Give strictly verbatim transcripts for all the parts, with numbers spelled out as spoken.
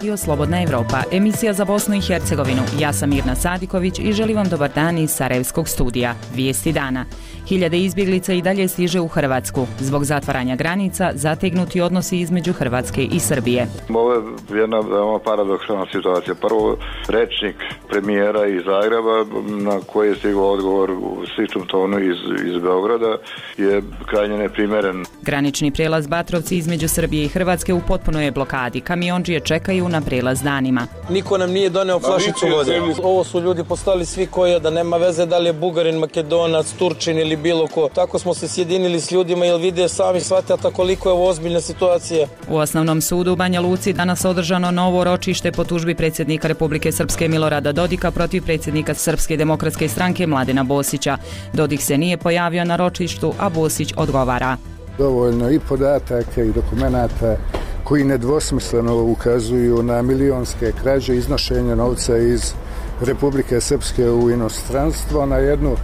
Radio Slobodna Evropa, emisija za Bosnu i Hercegovinu. Ja sam Mirna Sadiković i želim vam dobar dan iz Sarajevskog studija. Vijesti dana. Hiljade izbjeglica i dalje stiže u Hrvatsku. Zbog zatvaranja granica, zategnuti odnosi između Hrvatske i Srbije. Ovo je jedna veoma paradoksalna situacija. Prvo, rečnik premijera iz Zagreba, na koji je stigao odgovor u sličnom tonu iz, iz Beograda, je krajnje neprimeren. Granični prijelaz Batrovci između Srbije i Hrvatske u potpunoj je blokadi. Kamiondžije čekaju na prijelaz danima. Niko nam nije doneo flašicu vode. Ovo su ljudi postali svi koji, da nema veze da li je Bugarin, Makedonac, Turčin ili bilo ko. Tako smo se sjedinili s ljudima jer vide sami shvatata koliko je ovo ozbiljna situacija. U Osnovnom sudu u Banja Luci danas održano novo ročište po tužbi predsjednika Republike Srpske Milorada Dodika protiv predsjednika Srpske demokratske stranke Mladena Bosića. Dodik se nije pojavio na ročištu, a Bosić odgovara. Dovoljno i podataka i dokumenata koji nedvosmisleno ukazuju na milionske krađe, iznošenja novca iz Republike Srpske u inostranstvo, na jednu,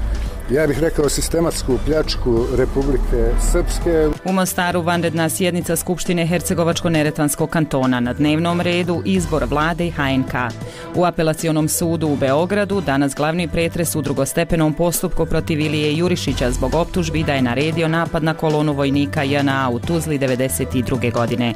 ja bih rekao, sistematsku pljačku Republike Srpske. U Mostaru vanredna sjednica Skupštine Hercegovačko-neretvanskog kantona, na dnevnom redu izbor vlade i H N K. U apelacionom sudu u Beogradu danas glavni pretres u drugostepenom postupku protiv Ilije Jurišića zbog optužbi da je naredio napad na kolonu vojnika J N A u Tuzli devedeset druge godine.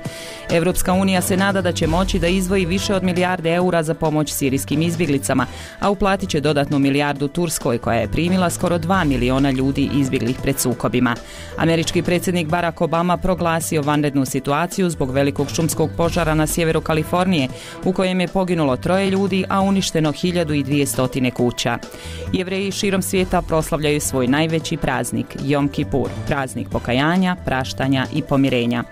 Evropska unija se nada da će moći da izdvoji više od milijarde eura za pomoć sirijskim izbjeglicama, a uplatit će dodatnu milijardu Turskoj koja je primila skoro dva miliona ljudi izbjeglih pred sukobima. Američki predsjednik Barack Obama proglasio vanrednu situaciju zbog velikog šumskog požara na sjeveru Kalifornije, u kojem je poginulo troje ljudi, a uništeno hiljadu dvjesto kuća. Jevreji širom svijeta proslavljaju svoj najveći praznik, Jom Kipur, praznik pokajanja, praštanja i pomirenja.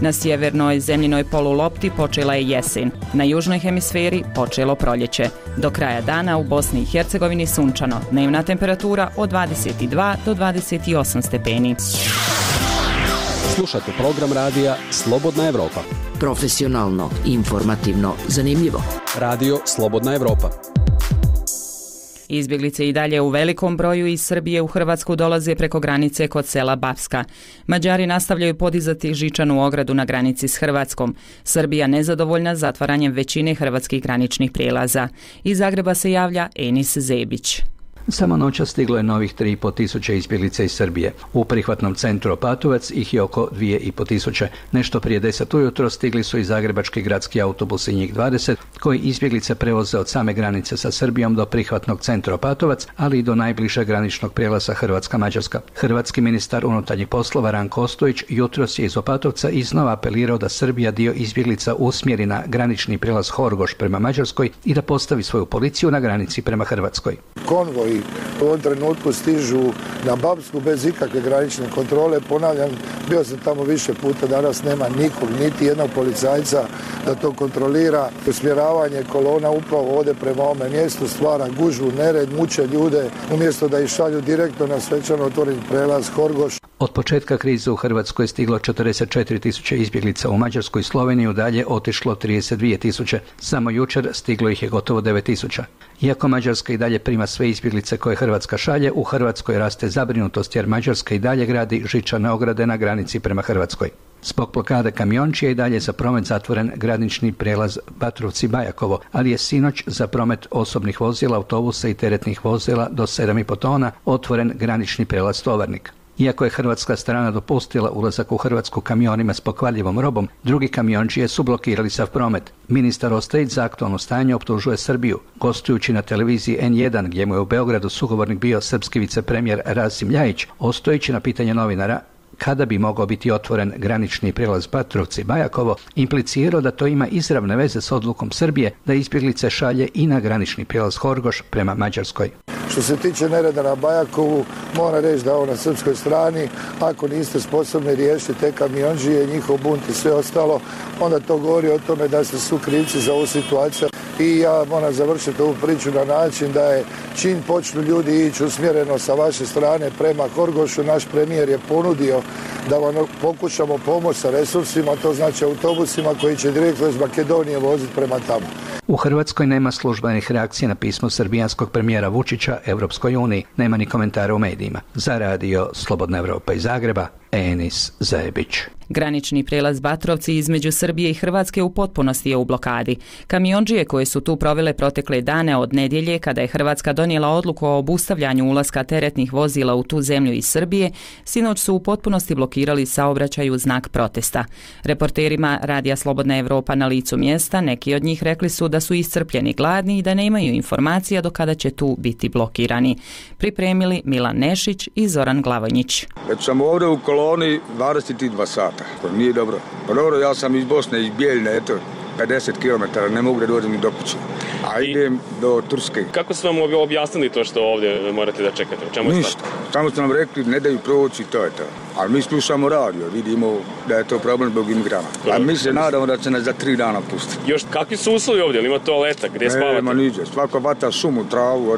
Na sjevernoj zemljinoj polulopti počela je jesen. Na južnoj hemisferi počelo proljeće. Do kraja dana u Bosni i Hercegovini sunčano. Dnevna temperatura od dvadeset dva do dvadeset osam stepeni. Slušate program radija Slobodna Evropa. Profesionalno, informativno, zanimljivo. Radio Slobodna Evropa. Izbjeglice i dalje u velikom broju iz Srbije u Hrvatsku dolaze preko granice kod sela Bapska. Mađari nastavljaju podizati žičanu ogradu na granici s Hrvatskom. Srbija nezadovoljna zatvaranjem većine hrvatskih graničnih prijelaza. Iz Zagreba se javlja Enis Zebić. Samo noća stiglo je novih tri i pol tisuće izbjeglica iz Srbije. U prihvatnom centru Opatovac ih je oko dvije i pol tisuće. Nešto prije deset ujutro stigli su i zagrebački gradski autobusi, njih dvadeset, koji izbjeglice prevoze od same granice sa Srbijom do prihvatnog centra Opatovac, ali i do najbližeg graničnog prijelaza Hrvatska-Mađarska. Hrvatski ministar unutarnjih poslova Ranko Ostojić jutros je iz Opatovca iznova apelirao da Srbija dio izbjeglica usmjeri na granični prijelaz Horgoš prema Mađarskoj i da postavi svoju policiju na granici prema Hrvatskoj. Konvoj u ovom trenutku stižu na Bapsku bez ikakve granične kontrole. Ponavljam, bio sam tamo više puta, danas nema nikog, niti jednog policajca da to kontrolira. Usmjeravanje kolona upravo ode prema ovome mjestu, stvara gužvu, nered, muče ljude, umjesto da ih šalju direktno na svečano otvoren prelaz Horgoš. Od početka krize u Hrvatskoj je stiglo četrdeset četiri tisuće izbjeglica, u Mađarsku i Sloveniju dalje otišlo trideset dvije tisuće. Samo jučer stiglo ih je gotovo devet tisuća. Iako Mađarska i dalje prima sve izbjeglice koje Hrvatska šalje, u Hrvatskoj raste zabrinutost jer Mađarska i dalje gradi žičane ograde na granici prema Hrvatskoj. Zbog blokade kamiončija i dalje za promet zatvoren granični prijelaz Batrovci-Bajakovo, ali je sinoć za promet osobnih vozila, autobusa i teretnih vozila do sedam i pol tona otvoren granični prijelaz Tovarnik. Iako je hrvatska strana dopustila ulazak u Hrvatsku kamionima s pokvarljivom robom, drugi kamiončije su blokirali sav promet. Ministar Ostojić za aktualno stanje optužuje Srbiju. Gostujući na televiziji N jedan, gdje mu je u Beogradu sugovornik bio srpski vicepremijer Rasim Ljajić, Ostojić na pitanje novinara kada bi mogao biti otvoren granični prijelaz Batrovci-Bajakovo, implicirao da to ima izravne veze s odlukom Srbije da izbjeglice šalje i na granični prijelaz Horgoš prema Mađarskoj. Što se tiče nereda na Bajakovu, mora reći da ovo na srpskoj strani, ako niste sposobni riješiti te kamionđije, njihov bunt i sve ostalo, onda to govori o tome da ste su krivci za ovu situaciju. I ja moram završiti ovu priču na način da je čim počnu ljudi ići usmjereno sa vaše strane prema Horgošu, naš premijer je ponudio da vam pokušamo pomoći sa resursima, to znači autobusima koji će direktno iz Makedonije voziti prema tamo. U Hrvatskoj nema službenih reakcija na pismo srbijanskog premijera Vučića Europskoj uniji. Nema ni komentara u medijima. Za radio Slobodna Evropa iz Zagreba, Enis Zajebić. Granični prijelaz Batrovci između Srbije i Hrvatske u potpunosti je u blokadi. Kamiondžije koje su tu provele protekle dane od nedjelje, kada je Hrvatska donijela odluku o obustavljanju ulaska teretnih vozila u tu zemlju iz Srbije, sinoć su u potpunosti blokirali saobraćaj u znak protesta. Reporterima Radija Slobodna Evropa na licu mjesta, neki od njih rekli su da su iscrpljeni, gladni i da nemaju informacija do kada će tu biti blokirani. Pripremili Milan Nešić i Zoran Glavonjić. Već sam ovdje u koloni dvadeset dva sata. To nije dobro. Pa dobro, ja sam iz Bosne, iz Bijeljne, eto, pedeset kilometara, ne mogu da dođem ni do kuće. A idem do Turske. Kako su vam objasnili to što ovdje morate da čekate? Čemu je Ništa. Samo su nam rekli, ne daju proći, to je to. Ali mi slušamo radio, vidimo da je to problem zbog imigranata. A mi se nadamo da će nas za tri dana pustiti. Još kakvi su uslovi ovdje? Ili ima toaleta? Gdje spavate? Nema niđe. Svako vata šumu, travu.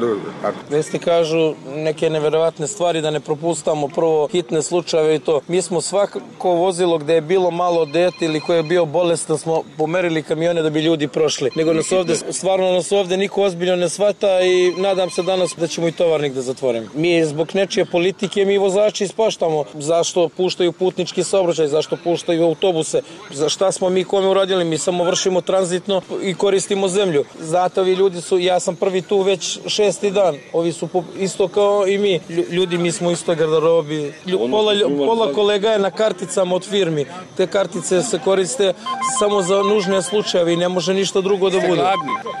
Vesti kažu neke neverovatne stvari da ne propustamo prvo hitne slučajeve i to. Mi smo svako vozilo gdje je bilo malo dete ili koje je bio bolestan smo pomerili kamione da bi ljudi prošli. Nego nas ovdje, stvarno nas ovdje niko ozbiljno ne shvata i nadam se danas da ćemo i tovarnik da zatvorimo. Mi zbog nečije politike, mi vozači ispaštamo zašto puštaju putnički saobraćaj, zašto puštaju autobuse, za šta smo mi kome uradili, mi samo vršimo tranzitno i koristimo zemlju. Zato ovi ljudi su, ja sam prvi tu već šesti dan, ovi su isto kao i mi, ljudi mi smo isto garderobi, pola, pola kolega je na karticama od firmi, te kartice se koriste samo za nužne slučajeve i ne može ništa drugo da bude.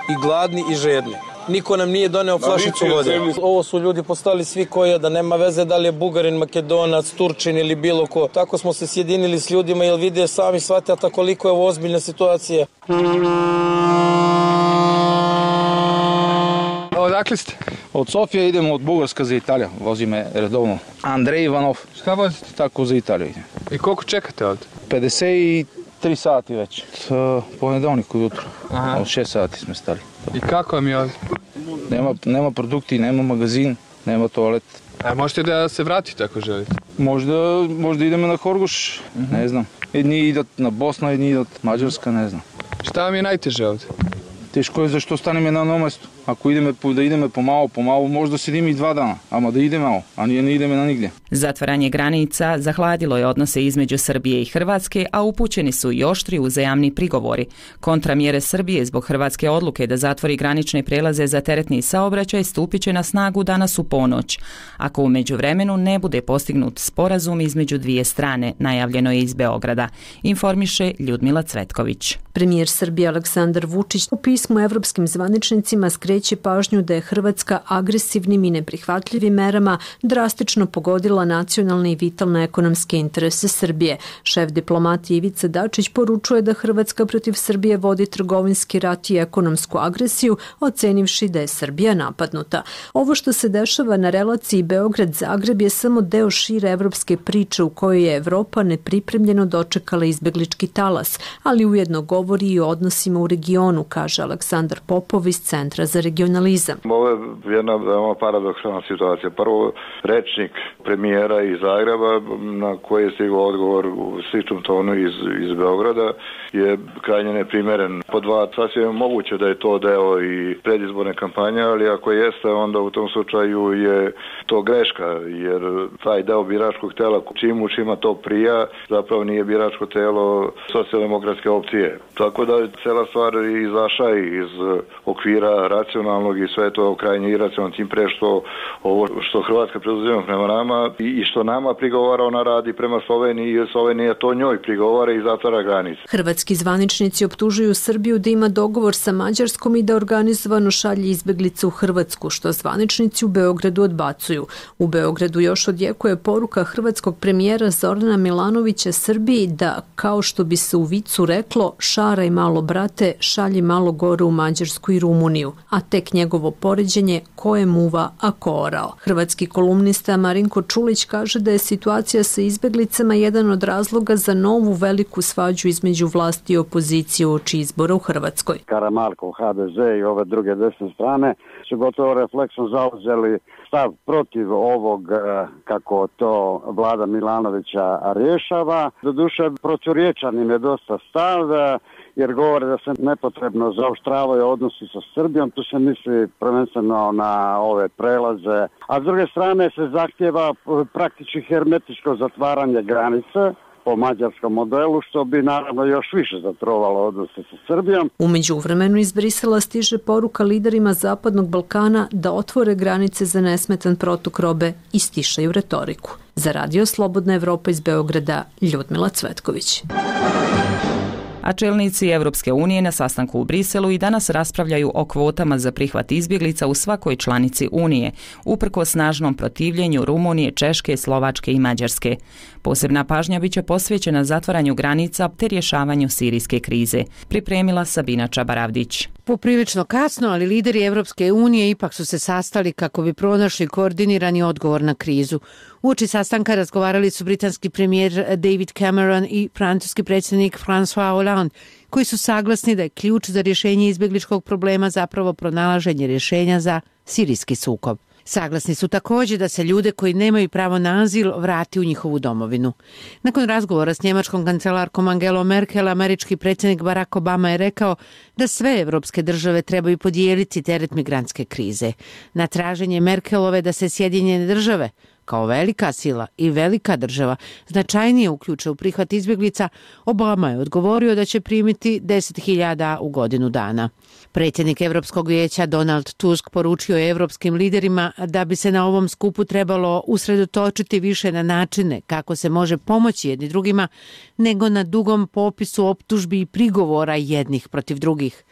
I gladni i žedni. Niko nam nije doneo flašicu vode. Ovo su ljudi postali svi koji da nema veze da li je Bugarin, Makedonac, Turčin ili bilo ko. Tako smo se sjedinili s ljudima jer vide sami shvatata koliko je ovo ozbiljna situacija. Odakle ste? Od Sofije idemo od Bugarska za Italiju. Vozi me redovno Andrej Ivanov. Šta vozite? Tako za Italiju. I koliko čekate ovdje? pedeset tri sati već. Ponedeljnik ujutro. Aha. Od šest sati smo stali. I kako vam je ovdje? Nema, nema produkti, nema magazin, nema toalet. A možete da se vratite ako želite? Možda, možda idemo na Horgoš, uh-huh. Ne znam. Jedni idat na Bosna, jedni idat Mađarska, ne znam. Šta vam je najteže ovdje? Teško je zašto staneme na jednom mjestu. Ako ideme, da ideme pomalo, pomalo, možda sedimo i dva dana, ama da ide malo, a nije ne ideme na nigdje. Zatvaranje granica zahladilo je odnose između Srbije i Hrvatske, a upućeni su i oštri uzajamni prigovori. Kontramjere Srbije zbog hrvatske odluke da zatvori granične prelaze za teretni saobraćaj stupit će na snagu danas u ponoć. Ako u međuvremenu ne bude postignut sporazum između dvije strane, najavljeno je iz Beograda, informiše Ljudmila Cvetković. Premijer Srbije Aleksandar Vučić u pismu evropskim zvaničnicima skreće pažnju da je Hrvatska agresivnim i neprihvatljivim merama drastično pogodila nacionalne i vitalne ekonomske interese Srbije. Šef diplomatije Ivica Dačić poručuje da Hrvatska protiv Srbije vodi trgovinski rat i ekonomsku agresiju, ocenivši da je Srbija napadnuta. Ovo što se dešava na relaciji Beograd-Zagreb je samo deo šire evropske priče u kojoj je Evropa nepripremljeno dočekala izbeglički talas, ali ujedno govori i o odnosima u regionu, kaže Aleksandar Popov iz Centra za regionalizam. Ovo je jedna veoma paradoksalna situacija. Prvo, rečnik premijera iz Zagreba, na koji je stigao odgovor u sličnom tonu iz, iz Beograda, je krajnje neprimeren. Po dva, sasvim je moguće da je to deo i predizborne kampanje, ali ako jeste, onda u tom slučaju je to greška, jer taj deo biračkog tela, čim u čima to prija, zapravo nije biračko telo socijaldemokratske opcije. Tako da je cela stvar izašla iz okvira racionalnog i sve to krajnje iracionalno, tim pre što ovo što Hrvatska preuzima prema nama i što nama prigovara, ona radi prema Sloveniji i Slovenija to njoj prigovara i zatvara granice. Hrvatski zvaničnici optužuju Srbiju da ima dogovor sa Mađarskom i da organizovano šalje izbeglice u Hrvatsku, što zvaničnici u Beogradu odbacuju. U Beogradu još odjekuje poruka hrvatskog premijera Zorana Milanovića Srbiji da, kao što bi se u vicu reklo, šaraj malo brate, šalji malo gore u Mađarsku i Rumuniju, a tek njegovo poređenje ko je muva, a ko orao. Hrvatski kolumnista Marinko Čulić kaže da je situacija sa izbeglicama jedan od razloga za novu veliku svađu između vlasti i opozicije uoči izbora u Hrvatskoj. Karamarkov, ha de ze i ove druge desne strane su gotovo refleksno zauzeli stav protiv ovog, kako to vlada Milanovića rješava. Doduše, proturječan im je dosta stav jer govore da se nepotrebno zaoštravaju odnosi sa Srbijom, tu se misli prvenstveno na ove prelaze, a s druge strane se zahtjeva praktički hermetičko zatvaranje granice po mađarskom modelu, što bi naravno još više zatrovalo odnose sa Srbijom. U međuvremenu iz Brisela stiže poruka liderima Zapadnog Balkana da otvore granice za nesmetan protok robe i stišaju retoriku. Za Radio Slobodna Evropa iz Beograda, Ljudmila Cvetković. A čelnici Evropske unije na sastanku u Briselu i danas raspravljaju o kvotama za prihvat izbjeglica u svakoj članici Unije, uprkos snažnom protivljenju Rumunije, Češke, Slovačke i Mađarske. Posebna pažnja biće posvećena zatvaranju granica te rješavanju sirijske krize, pripremila Sabina Čabaravdić. Poprilično kasno, ali lideri Evropske unije ipak su se sastali kako bi pronašli koordinirani odgovor na krizu. Uoči sastanka razgovarali su britanski premijer David Cameron i francuski predsjednik François Hollande, koji su saglasni da je ključ za rješenje izbjegličkog problema zapravo pronalaženje rješenja za sirijski sukob. Saglasni su također da se ljude koji nemaju pravo na azil vrati u njihovu domovinu. Nakon razgovora s njemačkom kancelarkom Angelom Merkel, američki predsjednik Barack Obama je rekao da sve evropske države trebaju podijeliti teret migrantske krize. Na traženje Merkelove da se Sjedinjene države, kao velika sila i velika država, značajnije uključe u prihvat izbjeglica, Obama je odgovorio da će primiti deset hiljada u godinu dana. Predsjednik Europskog vijeća Donald Tusk poručio je evropskim liderima da bi se na ovom skupu trebalo usredotočiti više na načine kako se može pomoći jedni drugima, nego na dugom popisu optužbi i prigovora jednih protiv drugih.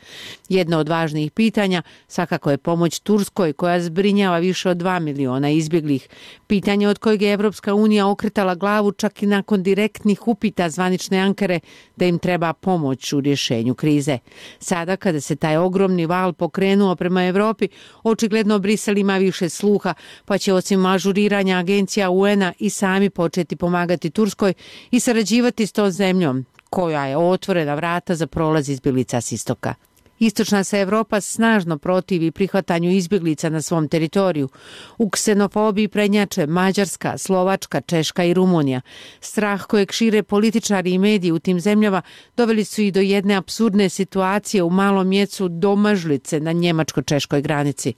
Jedno od važnijih pitanja svakako je pomoć Turskoj, koja zbrinjava više od dva miliona izbjeglih. Pitanje od kojeg je Evropska unija okretala glavu čak i nakon direktnih upita zvanične Ankare da im treba pomoć u rješenju krize. Sada kada se taj ogromni val pokrenuo prema Europi, očigledno Brisel ima više sluha, pa će osim ažuriranja agencija U N-a i sami početi pomagati Turskoj i sarađivati s tom zemljom, koja je otvorena vrata za prolaz izbjeglica s istoka. Istočna se Evropa snažno protivi prihvatanju izbjeglica na svom teritoriju. U ksenofobiji prednjače Mađarska, Slovačka, Češka i Rumunija. Strah kojeg šire političari i mediji u tim zemljama doveli su i do jedne apsurdne situacije u malom mjestu Domažlice na njemačko-češkoj granici.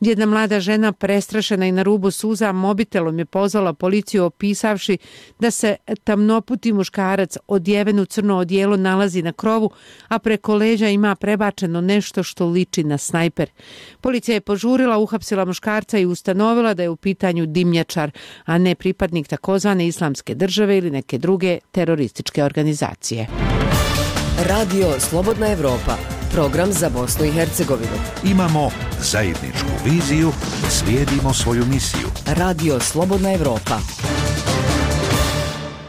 Jedna mlada žena, prestrašena i na rubu suza, mobitelom je pozvala policiju opisavši da se tamnoputi muškarac odjeven u crno odijelo nalazi na krovu, a preko leđa ima prebačeno nešto što liči na snajper. Policija je požurila, uhapsila muškarca i ustanovila da je u pitanju dimnjačar, a ne pripadnik takozvane Islamske države ili neke druge terorističke organizacije. Radio Slobodna Evropa, program za Bosnu i Hercegovinu. Imamo zajedničku viziju, slijedimo svoju misiju. Radio Slobodna Evropa.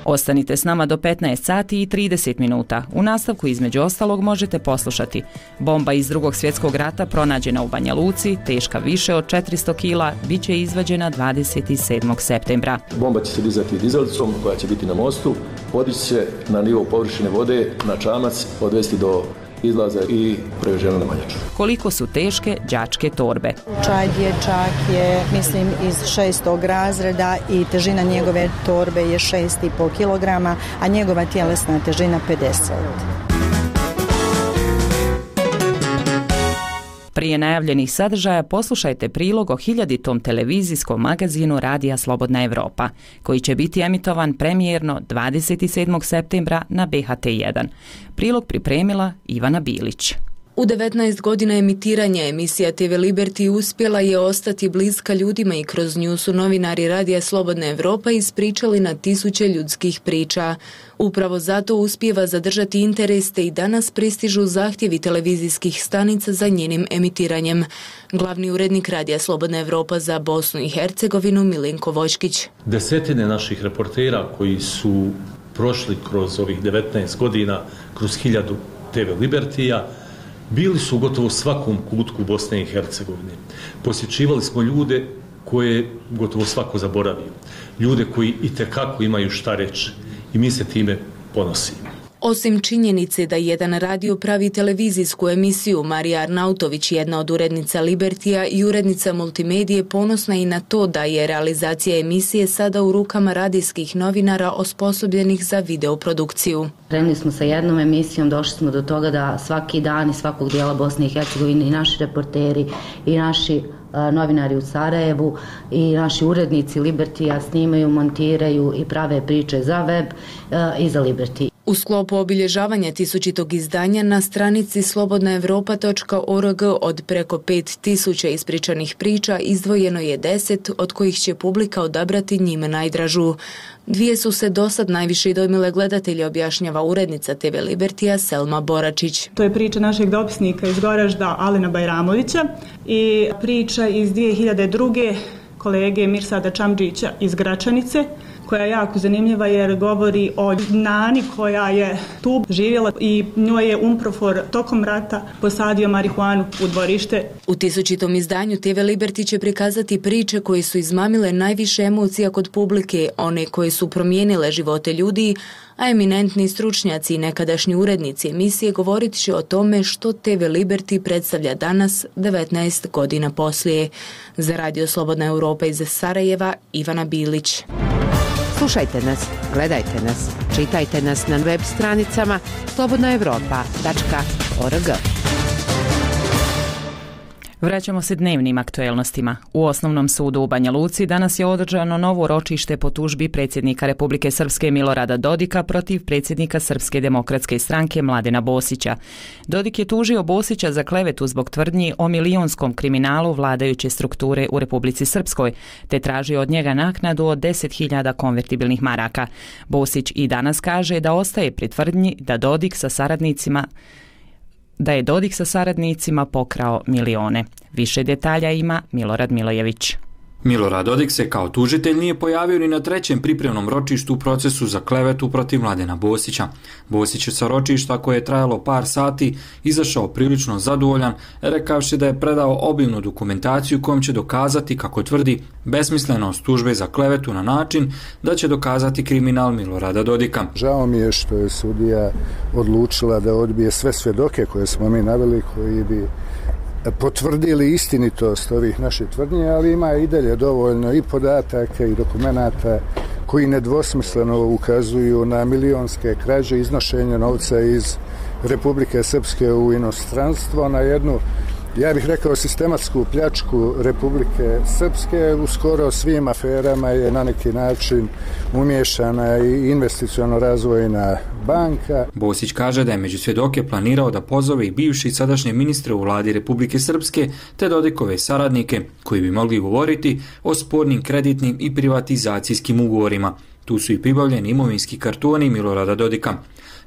Ostanite s nama do petnaest sati i trideset minuta. U nastavku između ostalog možete poslušati: bomba iz Drugog svjetskog rata pronađena u Banja Luci, teška više od četiristo kila, bit će izvađena dvadeset sedmog septembra. Bomba će se dizati dizelicom koja će biti na mostu, podići će na nivo površine vode, na čamac, odvesti do izlaza i preveženo na Manjaču. Koliko su teške đačke torbe? Čaj dječak je, mislim, iz šestog razreda i težina njegove torbe je šest i pol kilograma, a njegova tjelesna težina pedeset. Prije najavljenih sadržaja poslušajte prilog o hiljaditom televizijskom magazinu Radija Slobodna Evropa, koji će biti emitovan premijerno dvadeset sedmog septembra na B H T jedan. Prilog pripremila Ivana Bilić. U devetnaest godina emitiranja emisija T V Liberty uspjela je ostati bliska ljudima i kroz nju su novinari Radija Slobodna Evropa ispričali na tisuće ljudskih priča. Upravo zato uspijeva zadržati interes te i danas pristižu zahtjevi televizijskih stanica za njenim emitiranjem. Glavni urednik Radija Slobodna Evropa za Bosnu i Hercegovinu Milenko Vočkić. Desetine naših reportera koji su prošli kroz ovih devetnaest godina, kroz hiljadu T V Libertija, bili su gotovo u svakom kutku Bosne i Hercegovine. Posjećivali smo ljude koje gotovo svako zaboravio. Ljude koji itekako imaju šta reći i mi se time ponosimo. Osim činjenice da jedan radio pravi televizijsku emisiju, Marija Arnautović, jedna od urednica Libertija i urednica Multimedije, ponosna i na to da je realizacija emisije sada u rukama radijskih novinara osposobljenih za videoprodukciju. Krenuli smo sa jednom emisijom, došli smo do toga da svaki dan iz svakog dijela Bosne i Hercegovine i naši reporteri i naši a, novinari u Sarajevu i naši urednici Libertija snimaju, montiraju i prave priče za web a, i za Liberty. U sklopu obilježavanja tisućitog izdanja na stranici slobodna evropa točka org od preko pet tisuća ispričanih priča izdvojeno je deset, od kojih će publika odabrati njime najdražu. Dvije su se dosad najviše dojmile gledatelje, objašnjava urednica te ve Libertija Selma Boračić. To je priča našeg dopisnika iz Goražda, Alena Bajramovića, i priča iz dvije hiljade druge kolege Mirsada Čamdžića iz Gračanice, koja je jako zanimljiva jer govori o nani koja je tu živjela i njoj je Umprofor tokom rata posadio marihuanu u dvorište. U tisućitom izdanju te ve Liberty će prikazati priče koje su izmamile najviše emocija kod publike, one koje su promijenile živote ljudi, a eminentni stručnjaci i nekadašnji urednici emisije govorit će o tome što te ve Liberty predstavlja danas, devetnaest godina poslije. Za Radio Slobodna Evropa iz Sarajeva, Ivana Bilić. Slušajte nas, gledajte nas, čitajte nas na web stranicama slobodna evropa tačka org. Vraćamo se dnevnim aktuelnostima. U Osnovnom sudu u Banja Luci danas je održano novo ročište po tužbi predsjednika Republike Srpske Milorada Dodika protiv predsjednika Srpske demokratske stranke Mladena Bosića. Dodik je tužio Bosića za klevetu zbog tvrdnji o milionskom kriminalu vladajuće strukture u Republici Srpskoj, te tražio od njega naknadu od deset hiljada konvertibilnih maraka. Bosić i danas kaže da ostaje pri tvrdnji da Dodik sa saradnicima da je Dodik sa saradnicima pokrao milione. Više detalja ima Milorad Milojević. Milorad Dodik se kao tužitelj nije pojavio ni na trećem pripremnom ročištu u procesu za klevetu protiv Mladena Bosića. Bosić je sa ročišta koje je trajalo par sati izašao prilično zadovoljan, rekavši da je predao obimnu dokumentaciju kojom će dokazati, kako tvrdi, besmislenost tužbe za klevetu na način da će dokazati kriminal Milorada Dodika. Žao mi je što je sudija odlučila da odbije sve svedoke koje smo mi naveli, koji bi potvrdili istinitost ovih naših tvrdnji, ali ima i dalje dovoljno i podataka i dokumenata koji nedvosmisleno ukazuju na milionske krađe, iznošenje novca iz Republike Srpske u inostranstvo, na jednu, ja bih rekao, sistematsku pljačku Republike Srpske. U skoro svim aferama je na neki način umiješana i investiciono razvojna banka. Bosić kaže da je među svjedoke planirao da pozove i bivši i sadašnje ministre u vladi Republike Srpske te Dodikove saradnike koji bi mogli govoriti o spornim kreditnim i privatizacijskim ugovorima. Tu su i pribavljeni imovinski kartoni Milorada Dodika.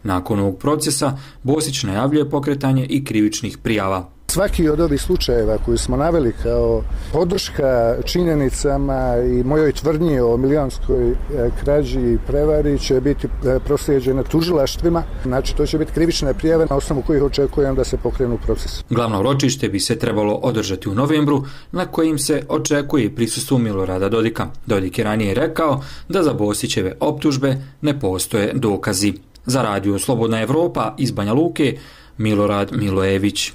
Nakon ovog procesa Bosić najavljuje pokretanje i krivičnih prijava. Svaki od ovih slučajeva koji smo naveli kao podrška činjenicama i mojoj tvrdnji o milijonskoj krađi i prevari će biti proslijeđene tužilaštvima. Znači, to će biti krivične prijave na osnovu kojih očekujem da se pokrenu proces. Glavno ročište bi se trebalo održati u novembru, na kojim se očekuje prisustvo Milorada Dodika. Dodik je ranije rekao da za Bosićeve optužbe ne postoje dokazi. Za Radio Slobodna Evropa iz Banja Luke, Milorad Milojević.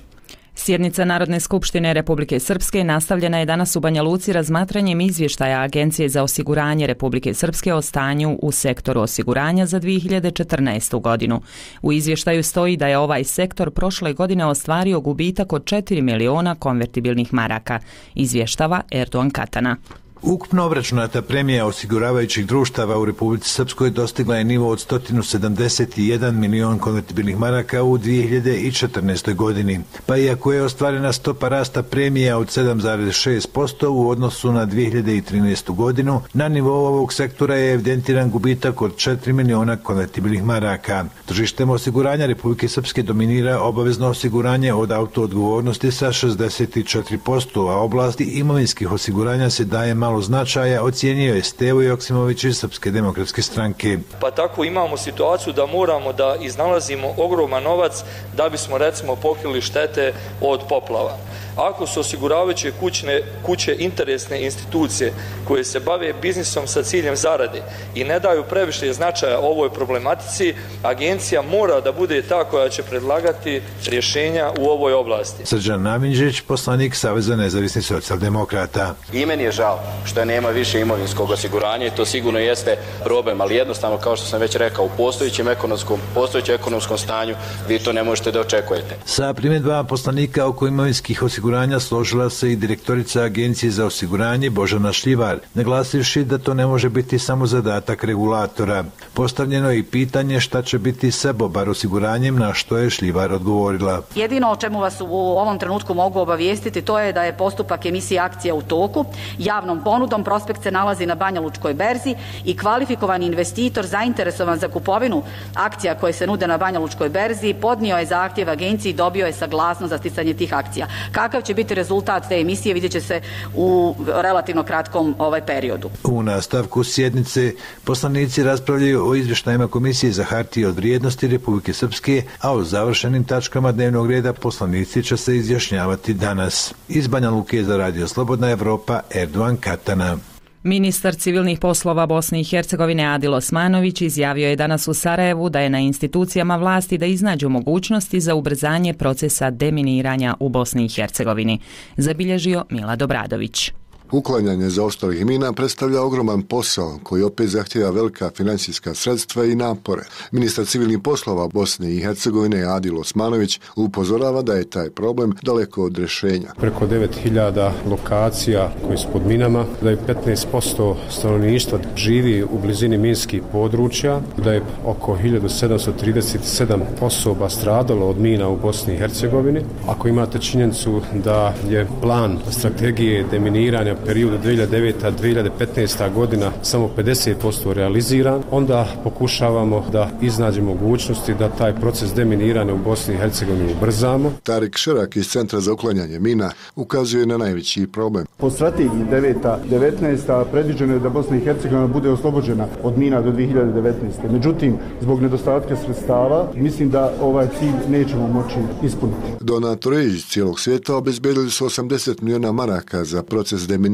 Sjednica Narodne skupštine Republike Srpske nastavljena je danas u Banja Luci razmatranjem izvještaja Agencije za osiguranje Republike Srpske o stanju u sektoru osiguranja za dvije hiljade četrnaestu. godinu. U izvještaju stoji da je ovaj sektor prošle godine ostvario gubitak od četiri miliona konvertibilnih maraka, izvještava Erdogan Katana. Ukupno obračunata premija osiguravajućih društava u Republici Srpskoj dostigla je nivo od sto sedamdeset jedan milion konvertibilnih maraka u dvije hiljade četrnaestoj. godini. Pa iako je ostvarena stopa rasta premija od sedam zarez šest posto u odnosu na dvije hiljade trinaestu. godinu, na nivou ovog sektora je evidentiran gubitak od četiri miliona konvertibilnih maraka. Tržištem osiguranja Republike Srpske dominira obavezno osiguranje od autoodgovornosti sa šezdeset četiri posto, a oblasti imovinskih osiguranja se daje malo značaja, ocijenio je Stevo Joksimović iz Srpske demokratske stranke. Pa tako imamo situaciju da moramo da iznalazimo ogroman novac da bismo recimo pokrili štete od poplava. Ako su osiguravajuće kućne, kuće interesne institucije koje se bave biznisom sa ciljem zarade i ne daju previše značaja ovoj problematici, agencija mora da bude ta koja će predlagati rješenja u ovoj oblasti. Srđan Naminđić, poslanik Saveza nezavisnih socijaldemokrata. I meni je žao što nema više imovinskog osiguranja i to sigurno jeste problem, ali jednostavno, kao što sam već rekao, u postojećem ekonomskom, postojećem ekonomskom stanju vi to ne možete da očekujete. Sa primjedbama poslanika oko imovinskih osiguranja složila se i direktorica Agencije za osiguranje Božana Šljivar, naglasivši da to ne može biti samo zadatak regulatora. Postavljeno je i pitanje šta će biti sa Bobar osiguranjem, na što je Šljivar odgovorila. Jedino o čemu vas u ovom trenutku mogu obavijestiti to je da je postupak emisije akcija u toku. Javnom ponudom prospekt se nalazi na Banja Lučkoj berzi i kvalifikovani investitor zainteresovan za kupovinu akcija koje se nude na Banja Lučkoj berzi podnio je zahtjev agenciji i dobio je saglasnost za sticanje tih akcija. Kakav će biti rezultat te emisije vidjet će se u relativno kratkom ovaj periodu. U nastavku sjednice poslanici raspravljaju o izvještajima Komisije za hartije od vrijednosti Republike Srpske, a o završenim tačkama dnevnog reda poslanici će se izjašnjavati danas. Iz Banja Luke za Radio Slobodna Evropa, Erdovan Katana. Ministar civilnih poslova Bosne i Hercegovine Adil Osmanović izjavio je danas u Sarajevu da je na institucijama vlasti da iznađu mogućnosti za ubrzanje procesa deminiranja u Bosni i Hercegovini, zabilježio Milad Obradović. Uklanjanje zaostalih mina predstavlja ogroman posao koji opet zahtjeva velika financijska sredstva i napore. Ministar civilnih poslova Bosne i Hercegovine Adil Osmanović upozorava da je taj problem daleko od rješenja. Preko devet hiljada lokacija koje su pod minama, da je petnaest posto stanovništva živi u blizini minskih područja, da je oko hiljadu sedamsto trideset sedam osoba stradalo od mina u Bosni i Hercegovini. Ako imate činjenicu da je plan strategije deminiranja periodu dvije hiljade deveta do dvije hiljade petnaesta godina samo pedeset posto realiziran, onda pokušavamo da iznađemo mogućnosti da taj proces deminiranja u Bosni i Hercegovini ubrzamo. Tarik Šerak iz Centra za uklanjanje mina ukazuje na najveći problem. Po strategiji deveta devetnaesta predviđeno je da Bosna i Hercegovina bude oslobođena od mina do dvije hiljade devetnaeste. Međutim, zbog nedostatka sredstava, mislim da ovaj cilj nećemo moći ispuniti. Donatori iz cijelog svijeta obezbedili su osamdeset milijuna maraka za proces deminiranja,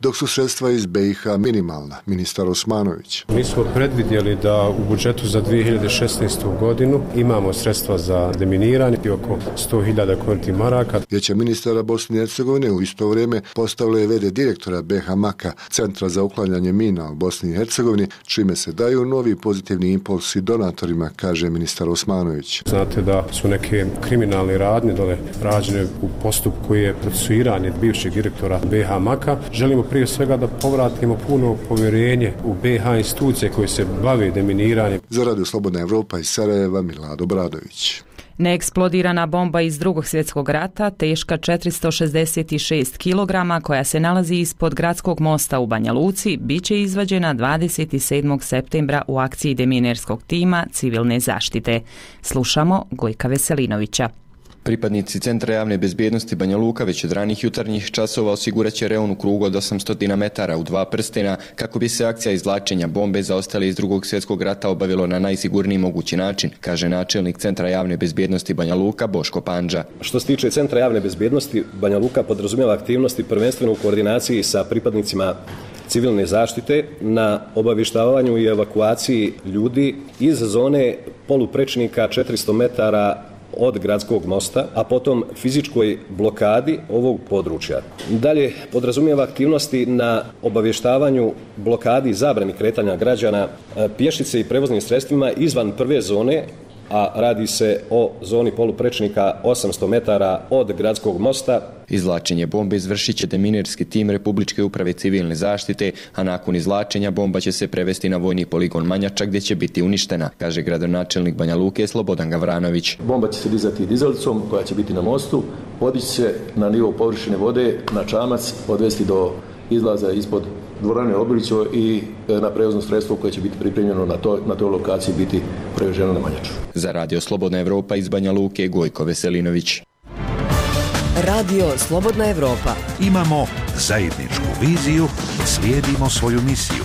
dok su sredstva iz B i H minimalna, ministar Osmanović. Mi smo predvidjeli da u budžetu za dvije hiljade šesnaestu godinu imamo sredstva za deminiranje i oko sto hiljada konti maraka. Vijeće ministara Bosne i Hercegovine u isto vrijeme postavilo je v d direktora B H Maka, Centra za uklanjanje mina u Bosni i Hercegovini, čime se daju novi pozitivni impulsi donatorima, kaže ministar Osmanović. Znate da su neke kriminalne radnje dole rađene u postupku koji je procesuiranje bivšeg direktora B H Maka. Želimo prije svega da povratimo puno povjerenje u B i H institucije koje se bave deminiranjem. Za Radio Slobodna Evropa iz Sarajeva, Milad Obradović. Neeksplodirana bomba iz Drugog svjetskog rata, teška četiristo šezdeset šest kilograma, koja se nalazi ispod gradskog mosta u Banja Luci, bit će izvađena dvadeset sedmog septembra u akciji deminerskog tima civilne zaštite. Slušamo Gojka Veselinovića. Pripadnici Centra javne bezbjednosti Banja Luka već od ranih jutarnjih časova osigurat će reon u krugu od osamsto metara u dva prstena kako bi se akcija izvlačenja bombe zaostale iz Drugog svjetskog rata obavilo na najsigurniji mogući način, kaže načelnik Centra javne bezbjednosti Banja Luka Boško Pandža. Što se tiče Centra javne bezbjednosti, Banja Luka podrazumijeva aktivnosti prvenstveno u koordinaciji sa pripadnicima civilne zaštite na obavještavanju i evakuaciji ljudi iz zone poluprečnika četiristo metara od gradskog mosta, a potom fizičkoj blokadi ovog područja. Dalje podrazumijeva aktivnosti na obavještavanju blokadi i zabrani kretanja građana pješice i prevoznim sredstvima izvan prve zone, a radi se o zoni poluprečnika osamsto metara od gradskog mosta. Izvlačenje bombe izvršit će deminerski tim Republičke uprave civilne zaštite, a nakon izvlačenja bomba će se prevesti na vojni poligon Manjača gdje će biti uništena, kaže gradonačelnik Banja Luke Slobodan Gavranović. Bomba će se dizati dizalicom koja će biti na mostu, podići se na nivo površine vode, na čamac, odvesti do izlaza ispod dvorane Obilićo i na prevozno sredstvo koje će biti pripremljeno na, to, na toj lokaciji biti preveženo na Manjaču. Za Radio Slobodna Evropa iz Banja Luke Gojko Veselinović. Radio Slobodna Evropa. Imamo zajedničku viziju, slijedimo svoju misiju.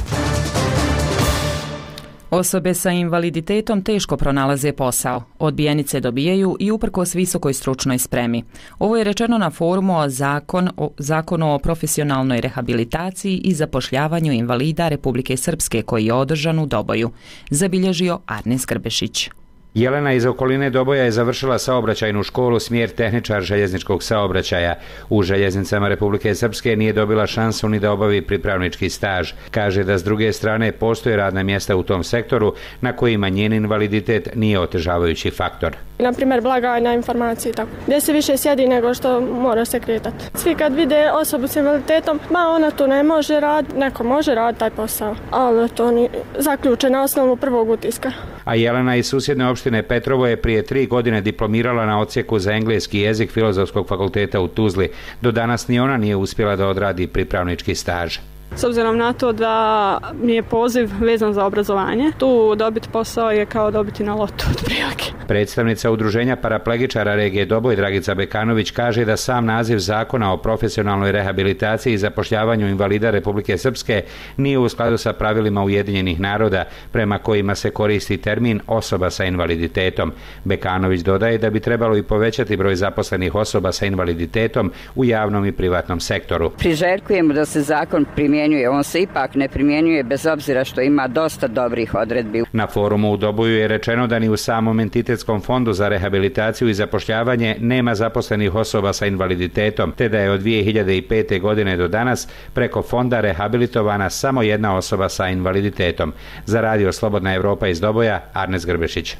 Osobe sa invaliditetom teško pronalaze posao. Odbijenice dobijaju i uprkos visokoj stručnoj spremi. Ovo je rečeno na forumu o zakon, o zakonu o profesionalnoj rehabilitaciji i zapošljavanju invalida Republike Srpske koji je održan u Doboju, zabilježio Arnes Grbešić. Jelena iz okoline Doboja je završila saobraćajnu školu smjer tehničar željezničkog saobraćaja. U željeznicama Republike Srpske nije dobila šansu ni da obavi pripravnički staž. Kaže da s druge strane postoje radna mjesta u tom sektoru na kojima njen invaliditet nije otežavajući faktor. Na primjer blagajna informacije tako. Gdje se više sjedi nego što mora se kretati. Svi kad vide osobu s invaliditetom, ma ona to ne može raditi, neko može raditi taj posao, ali to ni zaključe na osnovu prvog utiska. A Jelena iz susjedne opštine Petrovo je prije tri godine diplomirala na odsjeku za engleski jezik Filozofskog fakulteta u Tuzli. Do danas ni ona nije uspjela da odradi pripravnički staž. S obzirom na to da mi je poziv vezan za obrazovanje, tu dobiti posao je kao dobiti na lotu otprilike. Predstavnica udruženja paraplegičara regije Doboj Dragica Bekanović kaže da sam naziv zakona o profesionalnoj rehabilitaciji i zapošljavanju invalida Republike Srpske nije u skladu sa pravilima Ujedinjenih naroda prema kojima se koristi termin osoba sa invaliditetom. Bekanović dodaje da bi trebalo i povećati broj zaposlenih osoba sa invaliditetom u javnom i privatnom sektoru. Priželjkujemo da se zakon primjenjuje. On se ipak ne primjenjuje bez obzira što ima dosta dobrih odredbi. Na forumu u Doboju je rečeno da ni u samom entitetskom fondu za rehabilitaciju i zapošljavanje nema zaposlenih osoba sa invaliditetom, te da je od dvije hiljade pete. godine do danas preko fonda rehabilitovana samo jedna osoba sa invaliditetom. Za Radio Slobodna Evropa iz Doboja, Arnes Grbešić.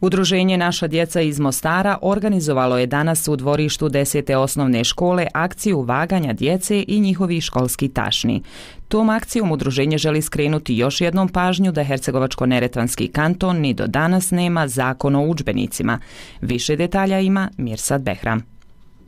Udruženje Naša djeca iz Mostara organizovalo je danas u dvorištu desete osnovne škole akciju vaganja djece i njihovih školskih tašni. Tom akcijom udruženje želi skrenuti još jednom pažnju da Hercegovačko-neretvanski kanton ni do danas nema zakon o udžbenicima. Više detalja ima Mirsad Behram.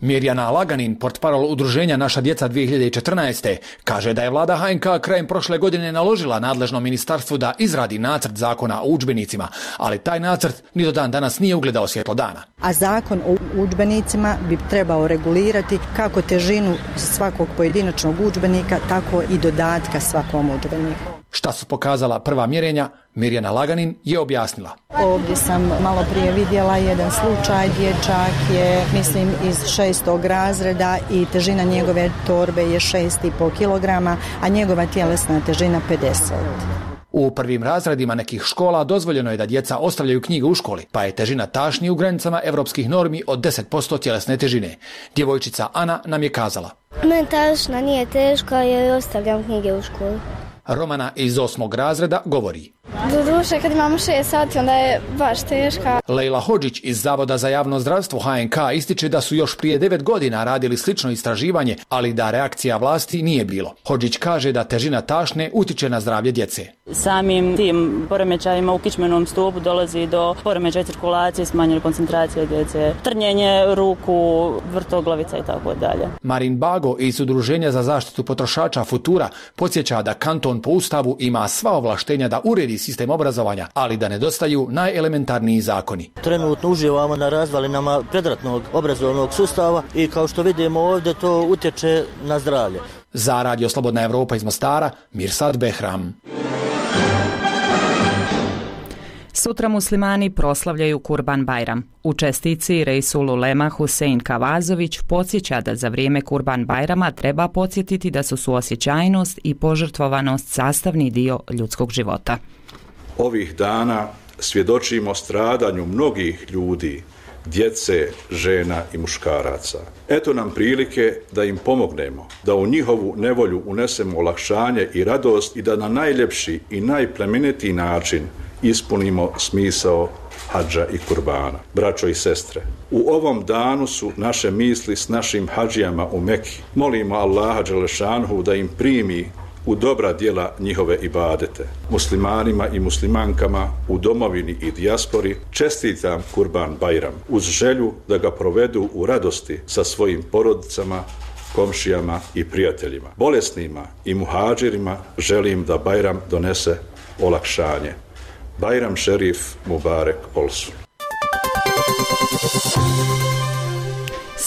Mirjana Laganin, portparol udruženja Naša djeca dvije hiljade četrnaeste. kaže da je vlada H N K krajem prošle godine naložila nadležnom ministarstvu da izradi nacrt zakona o udžbenicima, ali taj nacrt ni do dan danas nije ugledao svjetlo dana. A zakon o udžbenicima bi trebao regulirati kako težinu svakog pojedinačnog udžbenika, tako i dodatka svakom udžbeniku. Šta su pokazala prva mjerenja, Mirjana Laganin je objasnila. Ovdje sam malo prije vidjela jedan slučaj, dječak je, mislim, iz šestog razreda i težina njegove torbe je šest i pol kilograma, a njegova tjelesna težina pedeset. U prvim razredima nekih škola dozvoljeno je da djeca ostavljaju knjige u školi, pa je težina tašni u granicama evropskih normi od deset posto tjelesne težine. Djevojčica Ana nam je kazala. Meni tašna nije teška jer ostavljam knjige u školi. Romana iz osmog razreda govori. Doduše, kad imamo šest sati, onda je baš teška. Lejla Hodžić iz Zavoda za javno zdravstvo H N K ističe da su još prije devet godina radili slično istraživanje, ali da reakcija vlasti nije bilo. Hodžić kaže da težina tašne utiče na zdravlje djece. Samim tim poremećajima u kičmenom stupu dolazi do poremećaja cirkulacije, smanjene koncentracije djece, trnjenje ruku, vrtoglavica i tako dalje. Marin Bago iz Udruženja za zaštitu potrošača Futura podsjeća da kanton po Ustavu ima sva ovlaštenja da uredi sistem obrazovanja, ali da nedostaju najelementarniji zakoni. Trenutno uživamo na razvalinama predratnog obrazovnog sustava i kao što vidimo ovdje to utječe na zdravlje. Za Radio Slobodna Evropa iz Mostara, Mirsad Behram. Sutra muslimani proslavljaju Kurban Bajram. U čestici Reisul Ulema Husein Kavazović podsjeća da za vrijeme Kurban Bajrama treba podsjetiti da su suosjećajnost i požrtvovanost sastavni dio ljudskog života. Ovih dana svjedočimo stradanju mnogih ljudi, djece, žena i muškaraca. Eto nam prilike da im pomognemo, da u njihovu nevolju unesemo olakšanje i radost i da na najljepši i najplemenitiji način ispunimo smisao hadža i kurbana. Braćo i sestre, u ovom danu su naše misli s našim hadžijama u Meki. Molimo Allaha dželešanhu da im primi u dobra djela njihove ibadete. Muslimanima i muslimankama u domovini i dijaspori čestitam Kurban Bajram uz želju da ga provedu u radosti sa svojim porodicama, komšijama i prijateljima. Bolesnima i muhađirima želim da Bajram donese olakšanje. Bajram Šerif Mubarek Olsun.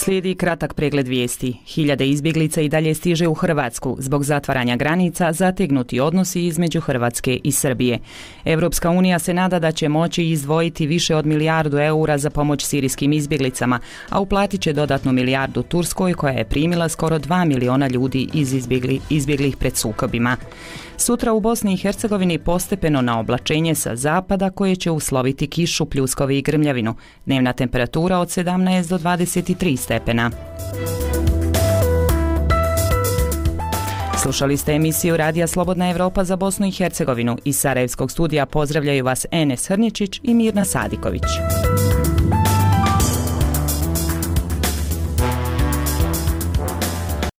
Slijedi kratak pregled vijesti. Hiljade izbjeglica i dalje stiže u Hrvatsku zbog zatvaranja granica, zategnuti odnosi između Hrvatske i Srbije. Europska unija se nada da će moći izdvojiti više od milijardu eura za pomoć sirijskim izbjeglicama, a uplatit će dodatnu milijardu Turskoj koja je primila skoro dva miliona ljudi iz izbjegli, izbjeglih pred sukobima. Sutra u Bosni i Hercegovini postepeno na oblačenje sa zapada koje će usloviti kišu, pljuskove i grmljavinu. Dnevna temperatura od sedamnaest do dvadeset tri stepena. Slušali ste emisiju Radija Slobodna Evropa za Bosnu i Hercegovinu. Iz Sarajevskog studija pozdravljaju vas Enes Hrničić i Mirna Sadiković.